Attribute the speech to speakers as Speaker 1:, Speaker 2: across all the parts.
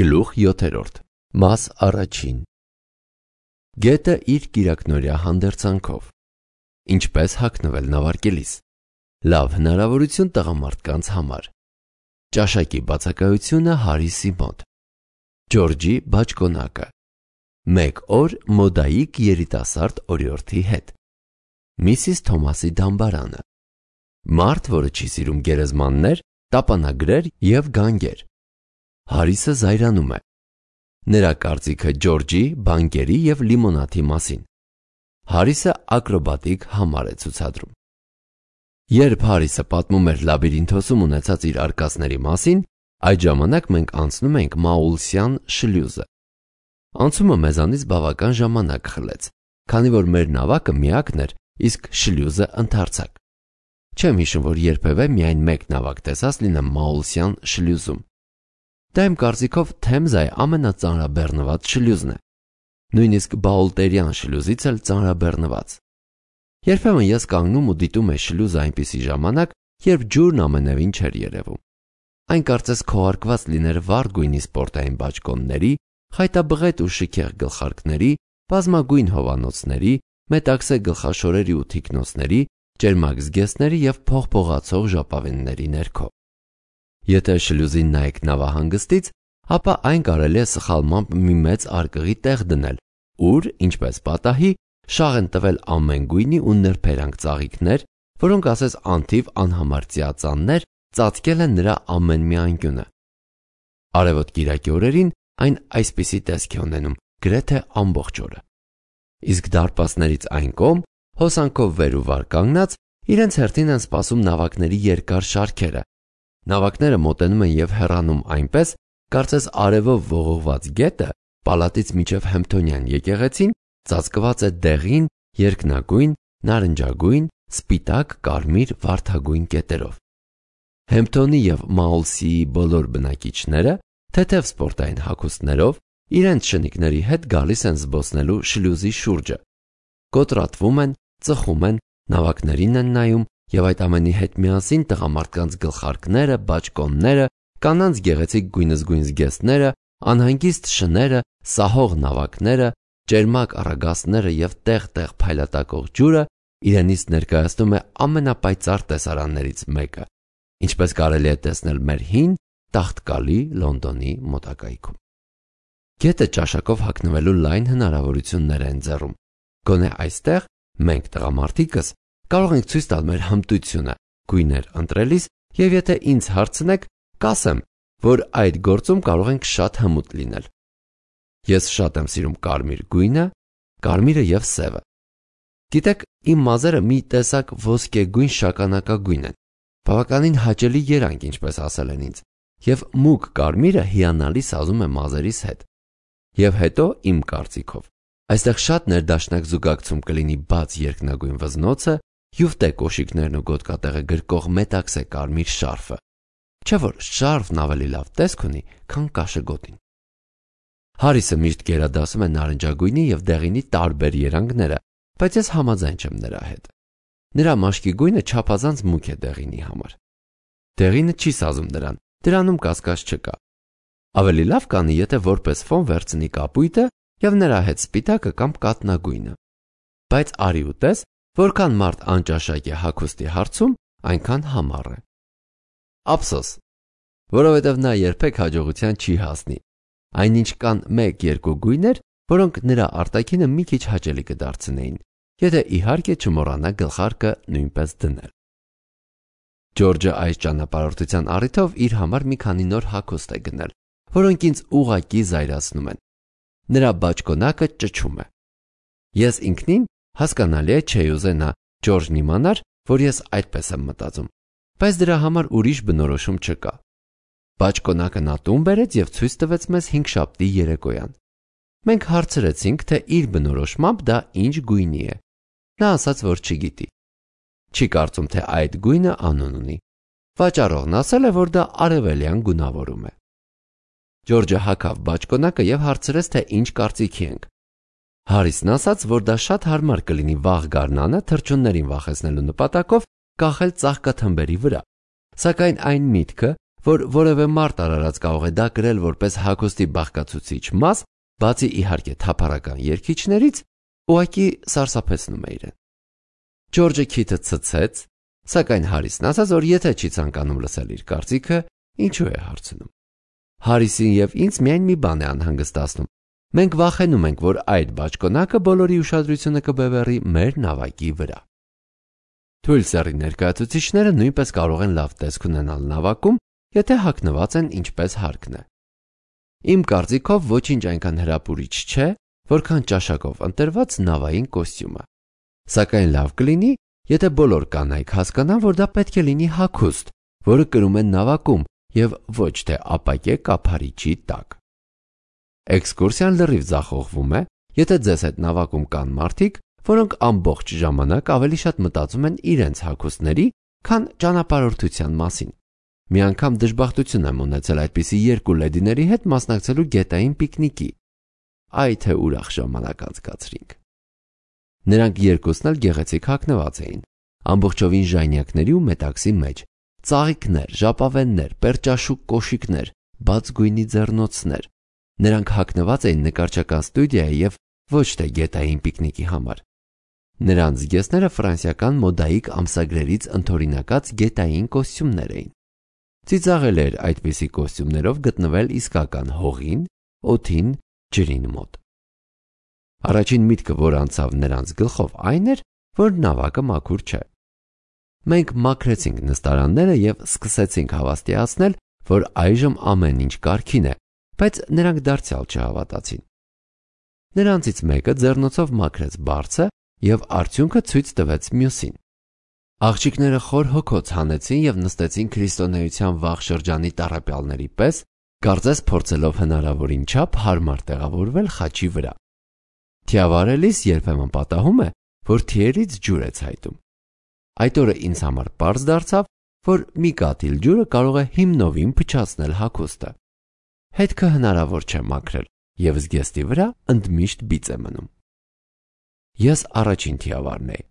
Speaker 1: Գլուխ 7 Մաս առաջին Գետը իր կիրակնօրյա հանդերձանքով Ինչպես հագնվել նավարկելիս Լավ հնարավորություն տղամարդկանց համար Ճաշակի բացակայությունը Հարիսի մոտ Ջորջի բաճկոնակը 1 օր մոդայիկ երիտասարդ օրիորդի հետ Միսիս Թոմասի դամբարանը Մարդ, որը չի սիրում գերեզմաններ, տապանագրեր և գանգեր Հարիսը զայրանում է Նրա կարծիքը Ջորջի, բանկերի և լիմոնադի մասին Հարիսը ակրոբատիկ համար է ցուցադրում Երբ Հարիսը պատմում էր լաբիրինթոսում ունեցած իր արկածների մասին, այդ ժամանակ մենք անցնում ենք Մաուլսյան շլյուզը Անցումը մեզանից բավական ժամանակ խլեց, քանի որ մեր նավակը միակն էր, իսկ շլյուզը ընդարձակ Չեմ հիշում, որ երբևէ միայն մեկ նավակ տեսած լինեմ Մաուլսյան շլյուզում Դա իմ կարծիքով Թեմզայի ամենածանրաբեռնված շլյուզն է, նույնիսկ Բաուլտերյան շլյուզից էլ ծանրաբեռնված Երբեմն ես կանգնում ու դիտում եմ շլյուզը այնպիսի ժամանակ, երբ ջուրն ամենևին չէր երևում Այն կարծես քողարկված լիներ վառ գույնի սպորտային բաճկոնների, խայտաբղետ ու շքեղ գլխարկների, բազմագույն հովանոցների, մետաքսե գլխաշորերի ու թիկնոցների, ճերմակ զգեստների և փողփողացող ժապավենների ներքո Եթե շլյուզին նայեք նավահանգստից, ապա այն կարելի է սխալմամբ մի մեծ արկղի տեղ դնել, ուր, ինչպես պատահի, շաղ են տվել ամեն գույնի ու նրբերանգ ծաղիկներ, որոնք ասես անթիվ անհամար ծիածաններ ծածկել են նրա ամեն մի անկյունը։ Արևոտ կիրակի օրերին այն այսպիսի տեսք է ունենում գրեթե ամբողջ օրը։ Իսկ դարպասներից այն կողմ, հոսանքով վեր ու վար կանգնած, իրենց հերթին են սպասում նավակների երկար շարքերը։ Նավակները մոտենում են և հեռանում այնպես, կարծես արևով ողողված գետը պալատից մինչև Հեմփթոնյան եկեղեցին ծածկված է դեղին, երկնագույն, նարնջագույն, սպիտակ, կարմիր, վարդագույն կետերով։ Հեմփթոնի և Մաուլսիի բոլոր բնակիչները, թեթև սպորտային հագուստներով, իրենց շնիկների հետ գալիս են զբոսնելու շլյուզի շուրջը։ Կոտրատվում են, ծխում են, նավակներին են նայում և այդ ամենի հետ միասին տղամարդկանց գլխարկները, բաճկոնները, կանանց գեղեցիկ գույնզգույն զգեստները, անհանգիստ շները, սահող նավակները, ճերմակ առագաստները և տեղ-տեղ փայլատակող ջուրը իրենից ներկայացնում է ամենապայծառ տեսարաններից մեկը, ինչպես կարելի է տեսնել մեր հին, տաղտկալի Լոնդոնի մոտակայքում։ Գետը ճաշակով հագնվելու լայն հնարավորություններ է ընձեռում։ Գոնե այստեղ մենք տղամարդիկս կարող ենք ցույց տալ մեր հմտությունը գույներ ընտրելիս և եթե ինձ հարցնեք, կասեմ, որ այդ գործում կարող ենք շատ հմուտ լինել։ Ես շատ եմ սիրում կարմիր գույնը, կարմիրը և սևը։ Գիտեք, իմ մազերը մի տեսակ ոսկեգույն շագանակագույն են, բավականին հաճելի երանգ, ինչպես ասել են ինձ, և մուգ կարմիրը հիանալի սազում է մազերիս հետ։ Եվ հետո, իմ կարծիքով, այստեղ շատ ներդաշնակ զուգակցում կլինի բաց երկնագույն վզնոցը, յուֆտե կոշիկներն ու գոտկատեղը գրկող մետաքսե կարմիր շարֆը, չէ՞ որ շարֆն ավելի լավ տեսք ունի, քան կաշեգոտին։ Հարիսը միշտ գերադասում է նարնջագույնի և դեղինի տարբեր երանգները, բայց ես համաձայն չեմ նրա հետ։ Նրա մաշկի գույնը չափազանց մուգ է դեղինի համար։ Դեղինը չի սազում նրան, դրանում կասկած չկա։ Ավելի լավ կանի, եթե որպես ֆոն վերցնի կապույտը և նրա հետ սպիտակը կամ կաթնագույնը։ Բայց արի ու տես, որքան մարդ անճաշակ է հագուստի հարցում, այնքան համառ է։ Ափսոս, որովհետև նա երբեք հաջողության չի հասնի։ Այնինչ կան 1-2 գույներ, որոնք նրա արտաքինը մի քիչ հաճելի կդարձնեին, եթե իհարկե չմոռանա գլխարկը նույնպես դնել։ Ջորջը այս ճանապարհորդության առիթով իր համար մի քանի նոր հագուստ է գնել, որոնք ինձ ուղղակի զայրացնում են։ Նրա բաճկոնակը ճչում է։ Ես ինքնին հասկանալի է չէի ուզենա նա Ջորջն իմանար, որ ես այդպես եմ մտածում, բայց դրա համար ուրիշ բնորոշում չկա։ Բաճկոնակը նա տուն բերեց և ցույց տվեց մեզ հինգշաբթի երեկոյան։ Մենք հարցրեցինք, թե իր բնորոշմամբ դա ինչ գույնի է։ Նա ասաց, որ չգիտի։ Չի կարծում, թե այդ գույնը անուն ունի։ Վաճառողն ասել է, որ դա արևելյան գունավորում է։ Ջորջը հագավ բաճկոնակը և հարցրեց, թե ինչ կարծիքի ենք։ Հարիսն ասաց, որ դա շատ հարմար կլինի վաղ գարնանը թռչուններին վախեցնելու նպատակով կախել ծաղկաթմբերի վրա, սակայն այն միտքը, որ որևէ մարդ արարած կարող է դա կրել որպես հագուստի բաղկացուցիչ մաս, բացի իհարկե թափառական երգիչներից, ուղղակի սարսափեցնում է իրեն։ Ջորջը քիթը ցցեց, սակայն Հարիսն ասաց, որ եթե չի ցանկանում լսել իր կարծիքը, ինչու է հարցնում։ Հարիսին եւ ինձ միայն մի բան է անհանգստացնում։ Մենք վախենում ենք, որ այդ բաճկոնակը բոլորի ուշադրությունը կբևեռի մեր նավակի վրա։ Թույլ սեռի ներկայացուցիչները նույնպես կարող են լավ տեսք ունենալ նավակում, եթե հագնված են ինչպես հարկն է։ Իմ կարծիքով ոչինչ այնքան հրապուրիչ չէ, որքան ճաշակով ընտրված նավային կոստյումը։ Սակայն լավ կլինի, եթե բոլոր կանայք հասկանան, որ դա պետք է լինի հագուստ, որը կրում են նավակում եւ ոչ թե ապակե կափարիչի տակ։ Էքսկուրսիան լրիվ ձախողվում է, եթե ձեզ հետ նավակում կան մարդիկ, որոնք ամբողջ ժամանակ ավելի շատ մտածում են իրենց հագուստների, քան ճանապարհորդության մասին։ Մի անգամ դժբախտություն եմ ունեցել այդպիսի երկու լեդիների հետ մասնակցելու գետային պիկնիկի։ Այ թե ուրախ ժամանակ անցկացրինք։ Նրանք երկուսն էլ գեղեցիկ հագնված էին, ամբողջովին ժանյակների ու մետաքսի մեջ, ծաղիկներ, ժապավեններ, պերճաշուք կոշիկներ, բաց գույնի ձեռնոցներ։ Նրանք հագնված էին նկարչական ստուդիայի եւ ոչ թե գետային պիկնիկի համար։ Նրանց զգեստները ֆրանսիական մոդայիկ ամսագրերից ընդօրինակած գետային կոստյումներ էին։ Ծիծաղել էր այդպիսի կոստյումներով գտնվել իսկական հողին, օդին, ջրին մոտ։ Առաջին միտքը, որ անցավ նրանց գլխով, այն էր, որ նավակը մաքուր չէ։ Մենք մաքրեցինք նստարանները եւ սկսեցինք հավաստիացնել, որ այժմ ամեն ինչ կարգին է, բայց նրանք դարձյալ չհավատացին։ Նրանցից մեկը ձեռնոցով մաքրեց բարձը եւ արդյունքը ցույց տվեց մյուսին։ Աղջիկները խոր հոգոց հանեցին եւ նստեցին քրիստոնեության վաղ շրջանի տառապյալների պես, կարծես փորձելով հնարավորին չափ հարմար տեղավորվել խաչի վրա։ Թիավարելիս երբեմն պատահում է, որ թիերից ջուր է ցայտում։ Այդ օրը ինձ համար պարզ դարձավ, որ մի կաթիլ ջուրը կարող է հիմնովին փչացնել հագուստը։ Հետքը հնարավոր չէ մաքրել եւ զգեստի վրա ընդմիշտ բիծ է մնում։ Ես առաջին թիավարն էի։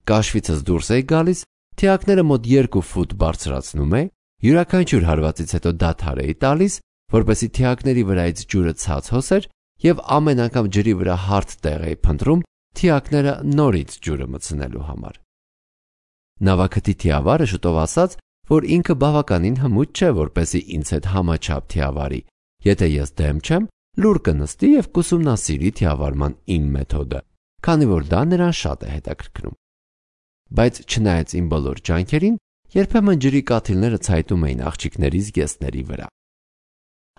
Speaker 1: Կաշվիցս դուրս էի գալիս, թիակները մոտ 2 ֆուտ բարձրացնում էի, յուրաքանչյուր հարվածից հետո դադար էի տալիս, որպեսզի թիակների վրայից ջուրը ցած հոսեր եւ ամեն անգամ ջրի վրա հարթ տեղ էի փնտրում թիակները նորից ջուրը մտցնելու համար։ Նավակտի թիավարը շուտով ասաց, որ ինքը բավականին հմուտ չէ, որպեսզի ինձ հետ համաչափ թիավարի, եթե ես դեմ չեմ, լուր կնստի եւ կուսումնասիրի թիավարման իմ մեթոդը, քանի որ դա նրան շատ է հետաքրքրում։ Բայց չնայած իմ բոլոր ջանքերին, երբեմն ջրի կաթիլները ցայտում էին աղջիկների զգեստների վրա։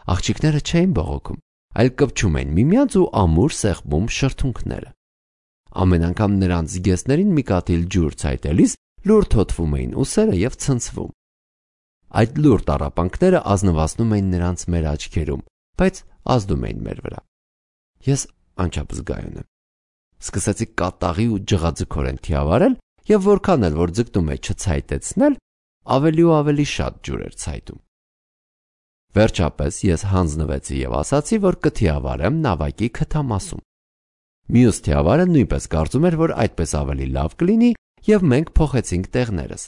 Speaker 1: Աղջիկները չէին բողոքում, այլ կպչում էին միմյանց ու ամուր սեղմում շրթունքները։ Ամեն անգամ նրանց զգեստներին մի կաթիլ ջուր ցայտելիս լուր թոթվում էին ուսերը եւ ցնցվում։ Այդ լուր տառապանքները ազնվացնում էին նրանց մեր աչքերում, բայց ազդում էին մեր վրա։ Ես անչափ զգայուն եմ։ Սկսեցի կատաղի ու ջղաձգորեն թիավարել եւ որքան էլ որ ձգտում էի չցայտեցնել, ավելի ու ավելի շատ ջուր էր ցայտում։ Վերջապես ես հանձնվեցի եւ ասացի, որ կթիավարեմ նավակի քթամասում։ Մյուս թիավարը նույնպես կարծում էր, որ այդպես ավելի լավ կլինի եւ մենք փոխեցինք տեղներս։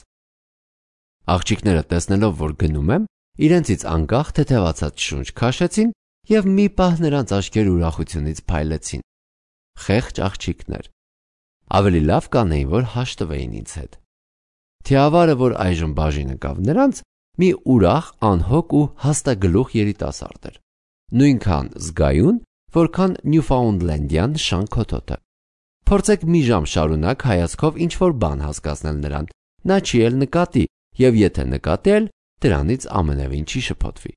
Speaker 1: Աղջիկները տեսնելով, որ գնում եմ, իրենցից անկախ թեթևացած շունչ քաշեցին եւ մի պահ նրանց աչքերը ուրախությունից փայլեցին։ Խեղճ աղջիկներ։ Ավելի լավ կանեին, որ հաշտվեին ինձ հետ։ Թիավարը, որ այժմ բաժին ընկավ նրանց, մի ուրախ, անհոգ ու հաստագլուխ երիտասարդ էր։ Նույնքան զգայուն, որքան Նյուֆաունդլենդյան շանքոթոթը։ Փորձեք մի ժամ շարունակ հայացքով ինչ-որ բան հասկացնել նրան, նա չի էլ նկատի, եւ եթե նկատի էլ, դրանից ամենևին չի շփոթվի։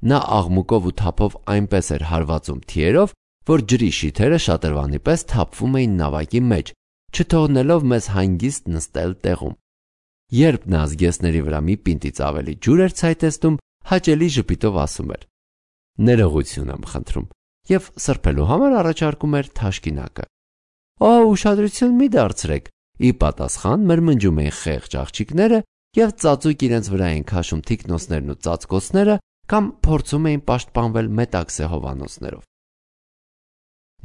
Speaker 1: Նա աղմուկով ու թափով այնպես էր հարվածում թիերով, որ ջրի շիթերը շատրվանի պես թափվում էին նավակի մեջ, չթողնելով մեզ հանգիստ նստել տեղում։ Երբ նա զգեստների վրա մի պինտից ավելի ջուր էր ցայտեցնում, հաճելի ժպիտով ասում էր. «Ներողություն եմ խնդրում» եւ սրբելու համար առաջարկում էր թաշկինակը։ «Օ, ուշադրություն մի դարձրեք», ի պատասխան մրմնջում էին խեղճ աղջիկները եւ ծածուկ իրենց վրա էին քաշում թիկնոցներն ու ծածկոցները կամ փորձում էին պաշտպանվել մետաքսե հովանոցներով։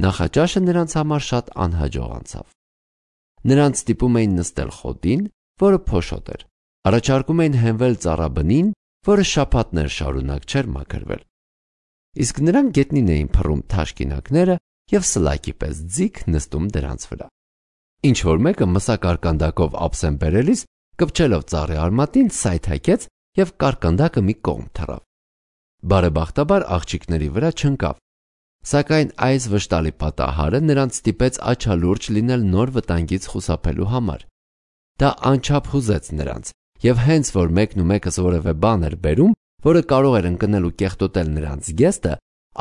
Speaker 1: Նախաճաշը նրանց համար շատ անհաջող անցավ։ Նրանց ստիպում էին նստել խոտին, որը փոշոտ էր, առաջարկում էին հենվել ծառաբնին որը շաբաթներ շարունակ չէր մաքրվել։ Իսկ նրանք գետնին էին փռում թաշկինակները և սլակի պես ձիգ նստում դրանց վրա։ Ինչ-որ մեկը մսակարկանդակով ափսեն բերելիս, կպչելով ծառի արմատին, սայթաքեց և կարկանդակը մի կողմ թռավ։ Բարեբախտաբար աղջիկների վրա չընկավ, սակայն այս վշտալի պատահարը նրանց ստիպեց աչալուրջ լինել նոր վտանգից խուսափելու համար։ Դա անչափ հուզեց նրանց, և հենց որ մեկն ու մեկս որևէ բան էր բերում, որը կարող էր ընկնել ու կեղտոտել նրանց զգեստը,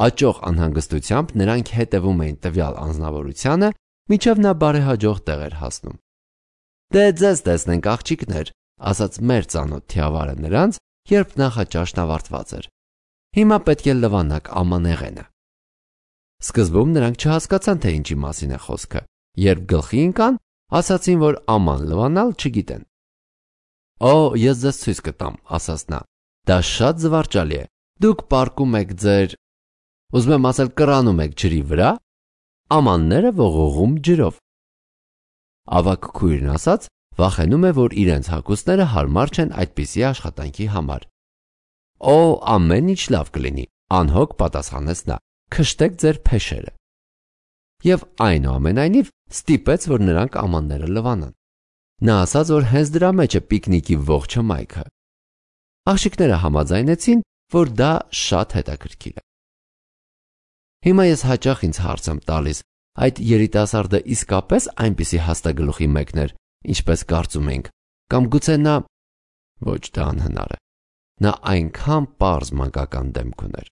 Speaker 1: աճող անհանգստությամբ նրանք հետևում էին տվյալ անձնավորությանը, մինչև նա բարեհաջող տեղ էր հասնում։ «Դե ձեզ տեսնենք, աղջիկներ», ասաց մեր ծանոթ թիավարը նրանց, երբ նախաճաշն ավարտված էր։ «Հիմա պետք է լվանաք ամանեղենը»։ Սկզբում նրանք չհասկացան, թե ինչի մասին է խոսքը, երբ գլխի ընկան, ասացին, որ աման լվանալ չգիտեն։ «Օ, ես ձեզ ցույց կտամ», ասաց նա, «դա շատ զվարճալի է։ Դուք պառկում եք ձեր, ուզում եմ ասել, կռանում եք ջրի վրա, ամանները ողողում ջրով»։ Ավագ քույրն ասաց, վախենում է, որ իրենց հագուստները հարմար չեն այդպիսի աշխատանքի համար։ «Օ, ամեն ինչ լավ կլինի», անհոգ պատասխանեց նա, «քշտեք ձեր փեշերը»։ Եվ այնուամենայնիվ ստիպեց, որ նրանք ամանները լվանան։ Նա ասաց, որ հենց դրա մեջ է պիկնիկի ողջ հմայքը։ Աղջիկները համաձայնեցին, որ դա շատ հետաքրքիր է։ Հիմա ես հաճախ ինձ հարց եմ տալիս, այդ երիտասարդը իսկապես այնպիսի հաստագլուխի մեկն էր, ինչպես կարծում ենք, կամ գուցե նա… Ոչ, դա անհնար է։ Նա այնքան պարզ մանկական դեմք ուներ։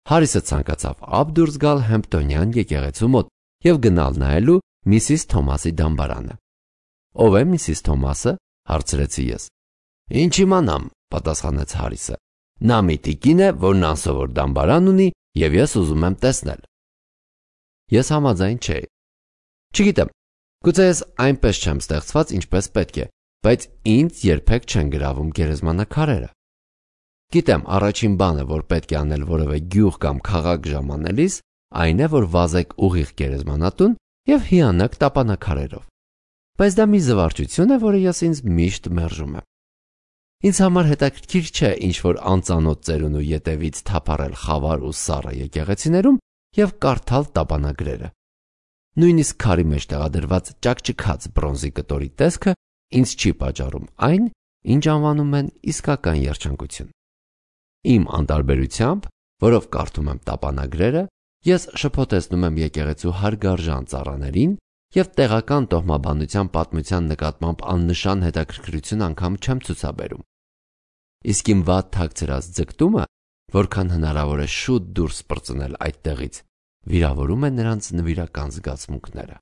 Speaker 1: Հարիսը ցանկացավ ափ դուրս գալ Հեմպտոնյան եկեղեցու մոտ և գնալ նայելու Միսիս Թոմասի դամբարանը։ «Ով է Միսիս Թոմասը»։ հարցրեցի ես։ «Ինչ իմանամ», պատասխանեց Հարիսը։ «Նա մի տիկին է, որն անսովոր դամբարան ունի, և ես ուզում եմ տեսնել»։ Ես համաձայն չէի։ Չգիտեմ, գուցե ես այնպես չեմ ստեղծված, ինչպես պետք է, բայց ինձ երբեք չեն գրավում գերեզմանակարերը։ Գիտեմ, առաջին բանը, որ պետք է անել որևէ գյուղ կամ քաղաք ժամանելիս, այն է, որ վազեք ուղիղ գերեզմանատուն և հիանաք տապանաքարերով։ Բայց դա մի զվարճություն է, որը ես ինձ միշտ մերժում եմ։ Ինձ համար հետաքրքիր չէ ինչ-որ անծանոթ ծերունու ետևից թափառել խավար ու սառը եկեղեցիներում և կարդալ տապանագրերը։ Նույնիսկ քարի մեջ տեղադրված ճաքճքած բրոնզի կտորի տեսքը ինձ չի պատճառում այն, ինչ անվանում են իսկական երջանկություն։ Իմ անտարբերությամբ, որով կարդում եմ տապանագրերը, ես շփոթեցնում եմ եկեղեցու հարգարժան ծառաներին և տեղական տոհմաբանության պատմության նկատմամբ աննշան հետաքրքրություն անգամ չեմ ցուցաբերում։ Իսկ իմ վատ թաքցրած ձգտումը, որքան հնարավոր է շուտ դուրս պրծնել այդտեղից, վիրավորում է նրանց նվիրական զգացմունքները։